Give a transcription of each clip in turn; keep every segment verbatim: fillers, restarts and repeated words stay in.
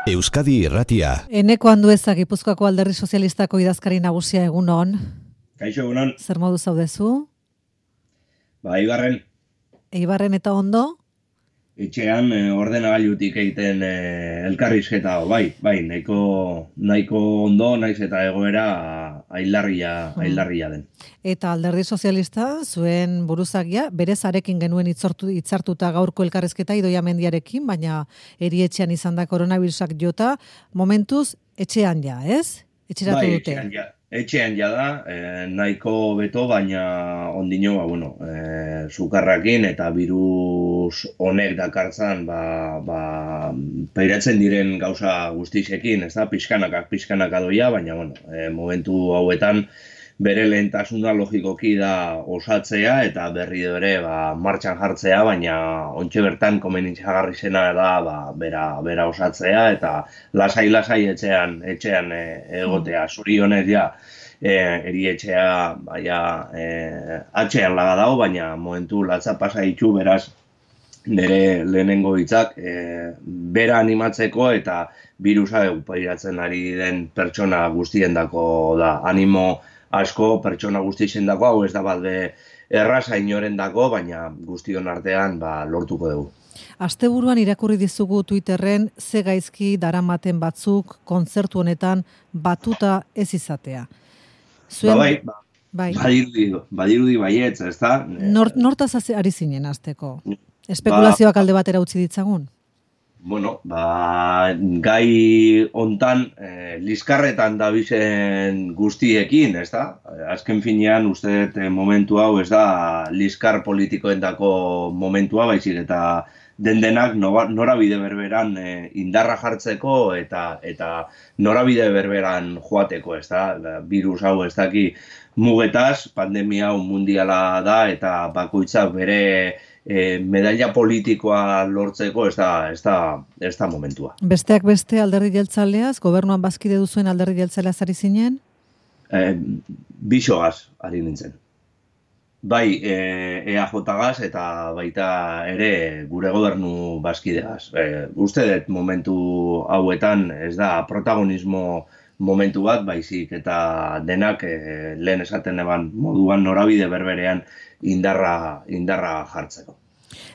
Euskadi Irratia. Eneko Andueza, Gipuzkoako Alderdi Sozialistako idazkari nagusia, egunon. Kaixo, egunon. Zer modu zaudezu? Ba, Eibarren. Eibarren eta ondo? Etxean eh, ordenagailutik egiten eh, elkarrizketa, bai, bai, nahiko, nahiko ondo, naiz eta egoera ailarria, ailarria den. Eta Alderdi Sozialista, zuen buruzagia, berez arekin genuen itzortu, itzartuta gaurko elkarrizketa Idoia Mendiarekin, baina erietxean izan da koronavirusak jota, momentuz etxean ja, ez? Etxeratu bai, dute. Etxean ja. Etxean ja da, eh, nahiko beto, baina ondino, ba, bueno, eh, sukarrakin eta virus honek dakartzan, ba, ba, pairatzen diren gauza guztizekin, ez da, pixkanakak, pixkanaka doia, baina, bueno, eh, momentu hauetan, bere lehentasuna logikoki da osatzea eta berri ere ba, martxan jartzea, baina ontxe bertan komenitzagarri zena da ba, bera, bera osatzea eta lasai-lasai etxean, etxean e, egotea. Zuri honez ja, e, erietxea baia, e, atxean laga dago, baina momentu latza pasa ditu beraz nire lehenengo hitzak e, bera animatzeko eta virusa pairatzen ari den pertsona guztiendako da. Animo asko pertsona guztien dako, hau ez da bat be erraza inoren dako, baina guztion artean ba, lortuko dugu. Asteburuan irakurri dizugu Twitterren ze gaizki daramaten batzuk kontzertu honetan batuta ez izatea. Zuen... Ba, bai, ba, bai. Badirudi, badirudi baietz, ez da? Nort, nortaz ari zinen azteko? Espekulazioak alde batera utzi ditzagun? Bueno, ba, gai hontan eh, liskarretan dabizen guztiekin, ez da? Azken finean, uste dut momentu hau ez da liskar politikoendako momentua, baizik eta den-denak norabide berberan eh, indarra jartzeko eta eta norabide berberan joateko, ez da? Virus hau ez daki mugetaz, pandemia hau mundiala da eta bakoitzak bere E, medaila politikoa lortzeko ez da, ez da, ez da momentua. Besteak beste alderdi jeltzaleaz, gobernuan bazkide duzuen alderdi jeltzaleaz ari zinen? E, Bixogaz ari nintzen. Bai e, E A J-gaz eta baita ere gure gobernu bazkideaz. E, uste dut momentu hauetan ez da protagonismo momentu bat, baizik eta denak e, lehen esaten eban moduan norabide berberean indarra, indarra jartzeko.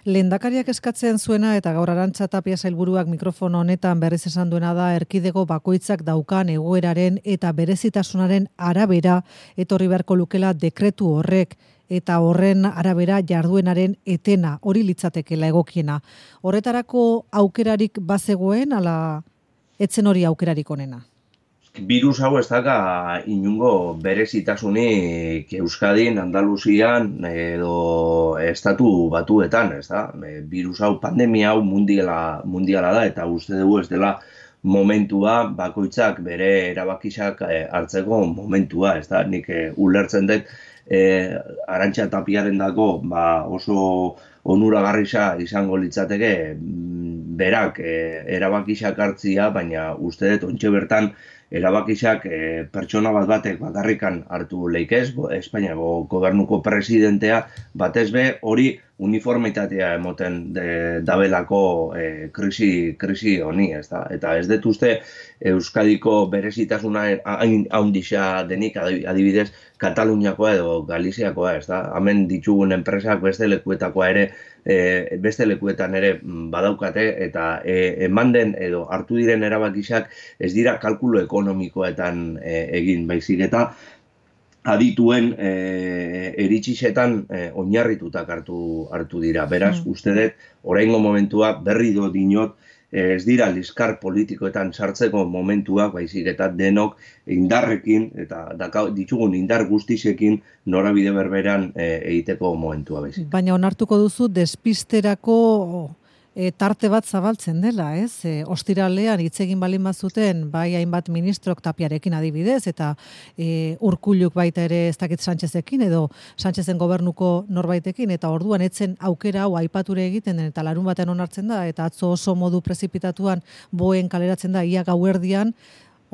Lehendakariak eskatzen zuena eta gaur Arantxa Tapia sailburuak mikrofono honetan berriz esan duena da erkidego bakoitzak daukan egoeraren eta berezitasunaren arabera etorri beharko lukela dekretu horrek eta horren arabera jarduenaren etena hori litzatekela egokiena. Horretarako aukerarik bazegoen ala etzen hori aukerarik onena? Virus hau ez daka inungo berezitasunik Euskadin, Andaluzian edo estatu batuetan, ez da? Virus hau, pandemia hau mundiala, mundiala da eta uste dugu ez dela momentua bakoitzak bere erabakizak hartzeko momentua, ez da? Nik eh, ulertzen dut eh, Arantxa Tapiaren dako ba, oso onuragarrisa izango litzateke berak eh, erabakizak hartzia, baina uste dut ontxe bertan erabakizak e, pertsona bat batek bakarrikan hartu leikez, Espainiako gobernuko presidentea, batez be hori uniformitatea emoten de, dabelako e, krisi, krisi honi, ez da? Eta ez dut uste Euskadiko berezitasuna hain haundisa denik, adibidez, Kataluniakoa edo Galiziakoa, ez da? Hemen ditugun enpresak beste lekuetakoa ere, e, beste lekuetan ere badaukate, eta e, eman den edo hartu diren erabakizak ez dira kalkulo ekonomikoetan e, egin baizik eta adituen e, eritxisetan e, oinarritutak hartu, hartu dira. Beraz, mm. uste dut, oraingo momentua berri do dinot, ez dira liskar politikoetan sartzeko momentuak, baizik eta denok indarrekin eta daka, ditugun indar guztizekin norabide berberan e, egiteko momentua baizik. Baina onartuko duzu despisterako e, tarte bat zabaltzen dela, ez? E, ostiralean hitz egin balin bazuten bai hainbat ministrok Tapiarekin adibidez eta e, Urkulluk baita ere ez dakit Sánchezekin edo Sánchezen gobernuko norbaitekin eta orduan etzen aukera hau aipature egiten den eta larun batean onartzen da eta atzo oso modu prezipitatuan boen kaleratzen da ia gauerdian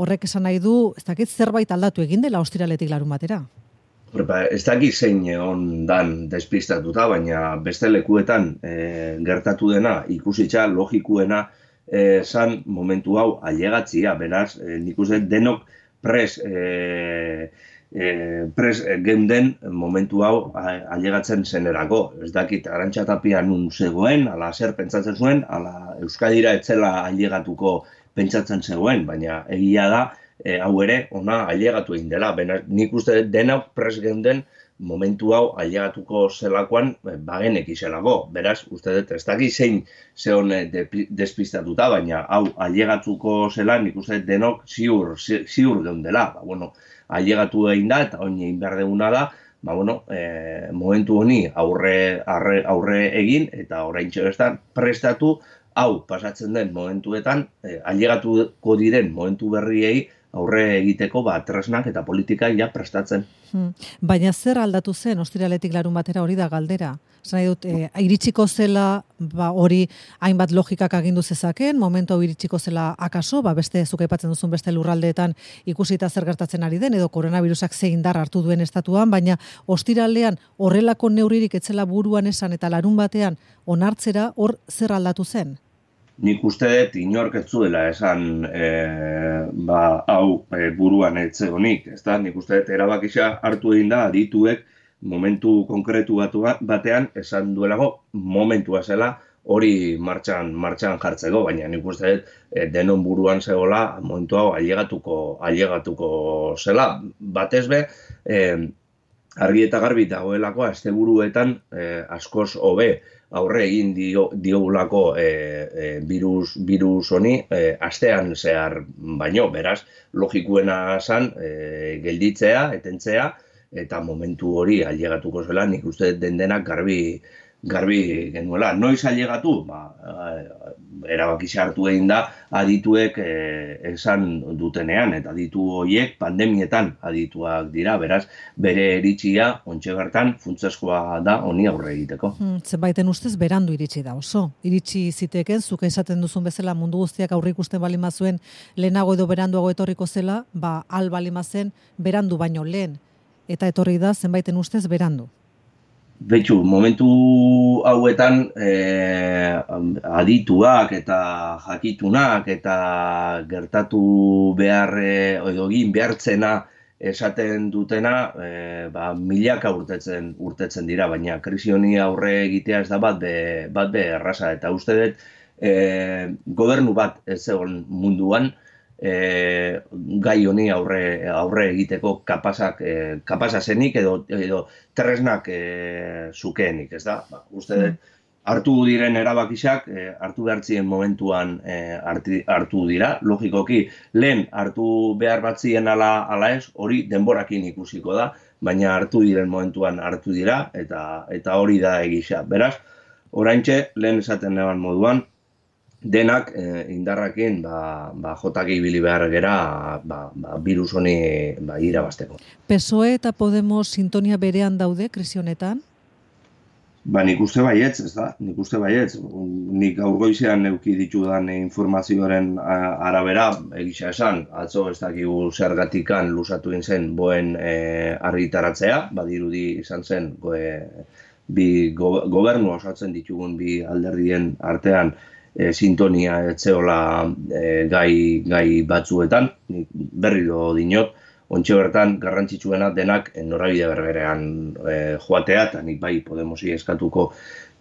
horrek esan nahi du ez dakit zerbait aldatu egin dela ostiraletik larun batera. Ez dakit zein egon dan despistatuta, baina beste lekuetan e, gertatu dena ikusitza logikuena zan momentu hau ailegatzia, beraz, e, nik uste denok pres e, e, pres geunden momentu hau ailegatzen zenerako. Ez dakit Arantxa Tapia nun zegoen, ala zer pentsatzen zuen, ala Euskadira etzela ailegatuko pentsatzen zegoen, baina egia da, e, hau ere ona ailegatu egin dela. Beraz, nik uste denok pres geunden momentu hau ailegatuko zelakoan bagenek izelako. Beraz, uste dut, ez daki zein zeon despistatuta, baina hau ailegatuko zela, nik uste denok ziur, ziur geundela. Ba, bueno, ailegatu egin da, eta oin egin behar deguna da, ba, bueno, e, momentu honi aurre, arre, aurre egin, eta orain txegestan prestatu, hau pasatzen den momentuetan, e, ailegatuko diren momentu berriei, aurre egiteko ba, tresnak eta politika ja prestatzen. Hmm. Baina zer aldatu zen, ostiraletik larun batera hori da galdera? Zena dut, e, iritsiko zela ba, hori hainbat logikak agindu zezaken, momentu hau iritsiko zela akaso, ba, beste zuk aipatzen duzun beste lurraldeetan ikusita zer gertatzen ari den, edo koronavirusak ze indar hartu duen estatuan, baina ostiralean horrelako neurririk etzela buruan esan eta larun batean onartzera hor zer aldatu zen? Nik uste dut inork ez zuela esan e, ba, hau e, buruan etzegonik, ez da? Nik uste dut erabakisa hartu egin da adituek momentu konkretu batu batean esan duelago momentua zela hori martxan, martxan jartzeko, baina nik uste dut e, denon buruan zegoela momentu hau ailegatuko, ailegatuko zela. Batez be, e, argi eta garbi dagoelako asteburuetan e, askoz hobe aurre egin dio, diogulako e, e, virus, virus honi e, astean zehar baino, beraz, logikuena zan e, gelditzea, etentzea, eta momentu hori ailegatuko zela, nik uste den denak garbi, garbi genuela. Noiz ailegatu? Ba, erabakisa hartu egin da adituek e, esan dutenean, eta aditu horiek pandemietan adituak dira, beraz, bere iritzia, ontxe bertan, funtsezkoa da honi aurre egiteko. Hmm, zenbaiten ustez berandu iritsi da oso. Iritsi ziteken, zuk esaten duzun bezala mundu guztiak aurre ikusten balimazuen lehenago edo beranduago etorriko zela, ba, al balimazen berandu baino lehen. Eta etorri da zenbaiten ustez berandu. Betxu, momentu hauetan eh, adituak eta jakitunak eta gertatu behar edo egin behartzena esaten dutena eh, ba, milaka urtetzen, urtetzen dira, baina krisi honi aurre egitea ez da bat be, bat be erraza. Eta uste dut eh, gobernu bat ez zegoen munduan, E, gai honi aurre, aurre egiteko kapasak, e, kapasa zenik edo, edo tresnak e, zukeenik, ez da? Ba, uste dut, hartu diren erabakisak, e, hartu behartzien momentuan e, harti, hartu dira, logikoki, lehen hartu behar batzien ala, ala ez, hori denborakin ikusiko da, baina hartu diren momentuan hartu dira, eta, eta hori da egisa. Beraz, oraintxe, lehen esaten neban moduan, denak eh, indarrakin ba, ba, jotak ibili behar gera ba, ba, virus honi ba, irabazteko. P S O E eta Podemos sintonia berean daude krisi honetan? Ba, nik uste baietz, ez da? Nik uste baietz. Nik gaur goizean neuki ditudan informazioaren arabera, egisa esan, atzo ez dakigu zergatikan lusatu zen boen e, argitaratzea, badirudi izan zen goe, bi go, gobernu osatzen ditugun bi alderdien artean E, sintonia etzeola e, gai, gai batzuetan, berriro dinot, ontxe bertan garrantzitsuena denak norabide berberean e, joatea, eta nik bai Podemosi eskatuko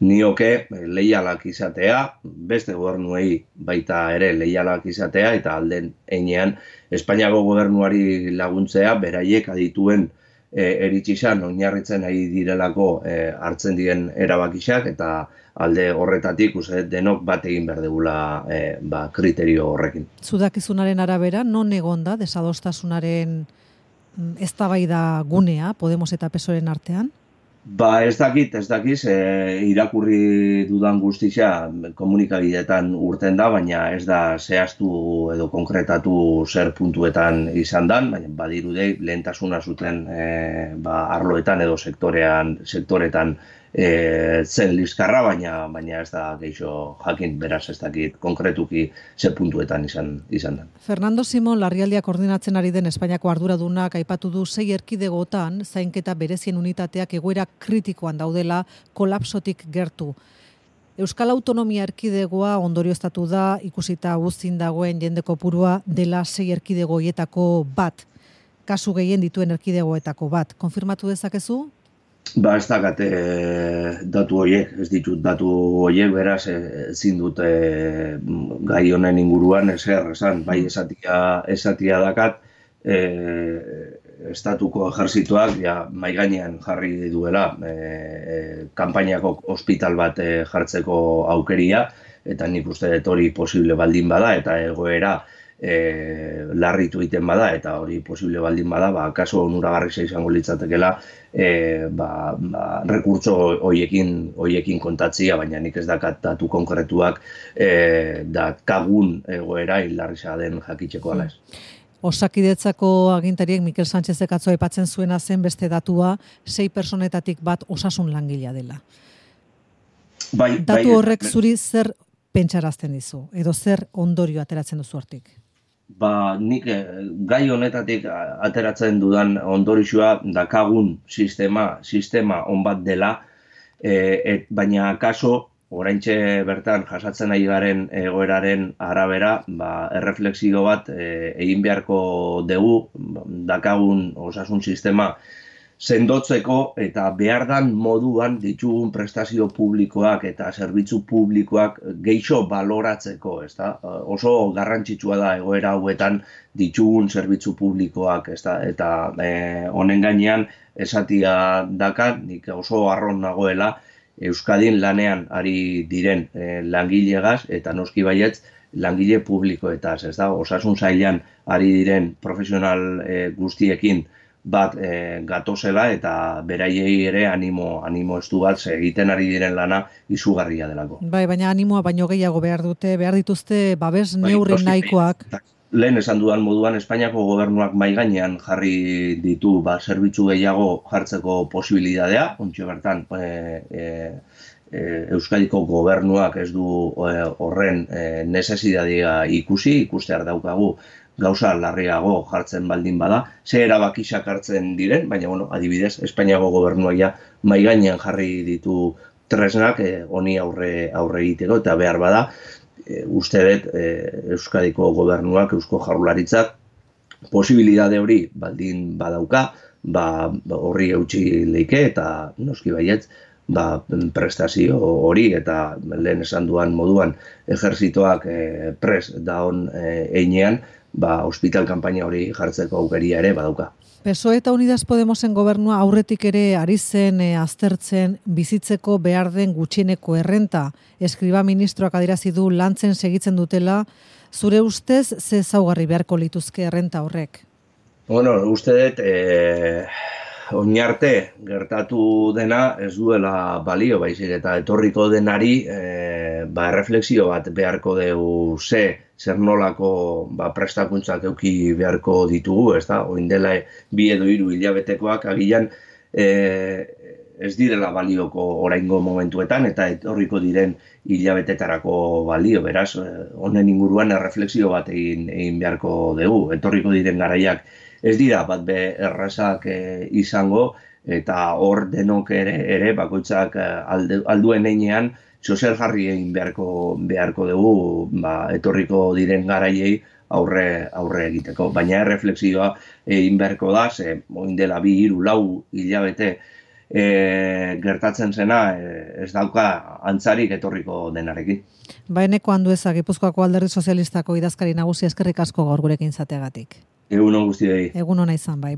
nioke leialak izatea, beste gobernuei baita ere leialak izatea, eta alden einean Espainiako gobernuari laguntzea, beraiek adituen e, eritxizan oinarritzen ari direlako e, hartzen diren erabakisak, eta alde horretatik uste denok bat egin behar degula e, ba, kriterio horrekin. Zudakizunaren arabera, non egonda desadostasunaren eztabaida gunea Podemos eta P S O E-ren artean? Ba ez dakit, ez dakiz, e, irakurri dudan guztia komunikabideetan urten da, baina ez da zehaztu edo konkretatu zer puntuetan izan dan, baina badirudei lehentasuna zuten e, ba, arloetan edo sektorean, sektoretan E, zen liskarra, baina baina ez da geixo jakin, beraz ez dakit konkretuki ze puntuetan izan izan da. Fernando Simón larrialdia koordinatzen ari den Espainiako arduradunak aipatu du sei erkidegotan zainketa berezien unitateak egoera kritikoan daudela kolapsotik gertu. Euskal Autonomia Erkidegoa ondorioztatu da, ikusita guztin dagoen jende kopurua dela sei erkidego horietako bat, kasu gehien dituen erkidegoetako bat. Konfirmatu dezakezu? Ba, ez dakate datu horiek, ez ditut datu horiek, beraz, ezin dut e, gai honen inguruan ezer esan, bai esatia, esatia dakat, e, estatuko ejerzituak ja, mai gainean jarri duela e, e, kanpainako ospital bat e, jartzeko aukeria, eta nik uste dut hori posible baldin bada, eta egoera E, larritu egiten bada, eta hori posible baldin bada, ba, kaso onuragarria izango litzatekela e, ba, ba, rekurtso hoiekin, hoiekin kontatzia, baina nik ez dakat datu konkretuak e, dakagun egoera hilarria den jakitzeko ala ez. Osakidetzako agintariek Mikel Sánchezek atzo aipatzen zuena zen beste datua, sei personetatik bat osasun langilea dela. Bai, datu bai, horrek zuri zer pentsarazten dizu, edo zer ondorio ateratzen duzu hortik? Ba, nik gai honetatik ateratzen dudan ondorioa dakagun sistema, sistema on bat dela, e, et, baina kaso, oraintxe bertan jasatzen ari garen egoeraren arabera, ba, erreflexio bat e, egin beharko dugu, dakagun osasun sistema sendotzeko eta behardan moduan ditugun prestazio publikoak eta zerbitzu publikoak geixo baloratzeko, ezta? Oso garrantzitsua da egoera hauetan ditugun zerbitzu publikoak, ezta? Eta eh, honen gainean esatia dakat, nik oso harron nagoela Euskadin lanean ari diren eh, langilegaz eta noski baietz langile publikoetaz, ezta? Osasun sailean ari diren profesional eh, guztiekin bat e, gatozela eta beraiei ere animo, animo estu bat egiten ari diren lana izugarria delako. Bai, baina animoa baino gehiago behar dute, behar dituzte babes neurri bai, nahikoak. Lehen esan dudan moduan, Espainiako gobernuak mai gainean jarri ditu ba, zerbitzu gehiago jartzeko posibilitatea, ontsi bertan e, e, e, Euskadiko gobernuak ez du e, horren e, necesidadea ikusi, ikustear daukagu gauza larriago jartzen baldin bada, ze erabakiak hartzen diren, baina, bueno, adibidez, Espainiako gobernuak ja mai gainean jarri ditu tresnak honi eh, aurre, aurre egiteko, eta behar bada, e, uste dut e, Euskadiko gobernuak, Eusko Jaurlaritzak, posibilitate hori baldin badauka, ba, horri eutsi leike, eta noski baietz, ba, prestazio hori, eta lehen esan duan moduan, ejerzitoak e, pres daon e, einean, ba, hospital kanpaina hori jartzeko aukeria ere badauka. P S O E eta Unidas Podemosen gobernua aurretik ere ari zen e, aztertzen bizitzeko behar den gutxieneko errenta. Eskriba ministroak adierazi du lantzen segitzen dutela, zure ustez ze ezaugarri beharko lituzke errenta horrek? Bueno, uste dut, e, oinarte gertatu dena ez duela balio, baizik eta etorriko denari e, ba, erreflexio bat beharko dugu ze, zer nolako ba, prestakuntzak euki beharko ditugu, ez da? Oin dela bi edo hiru hilabetekoak agian e, ez direla balioko oraingo momentuetan eta etorriko diren hilabetetarako balio, beraz, honen inguruan erreflexio bat egin, egin beharko dugu, etorriko diren garaiak ez dira bat be errazak e, izango, eta hor denok ere, ere bakoitzak alde, alduen einean zozer jarri egin beharko, beharko dugu ba, etorriko diren garaiei aurre, aurre egiteko. Baina erreflexioa egin beharko da, ze oin dela bi, hiru, lau hilabete e, gertatzen zena e, ez dauka antzarik etorriko denarekin. Baeneko Andueza, Gipuzkoako Alderdi Sozialistako idazkari nagusi, eskerrik asko gaur gurekin izateagatik. Egun on guztiei. Egun ona izan bai.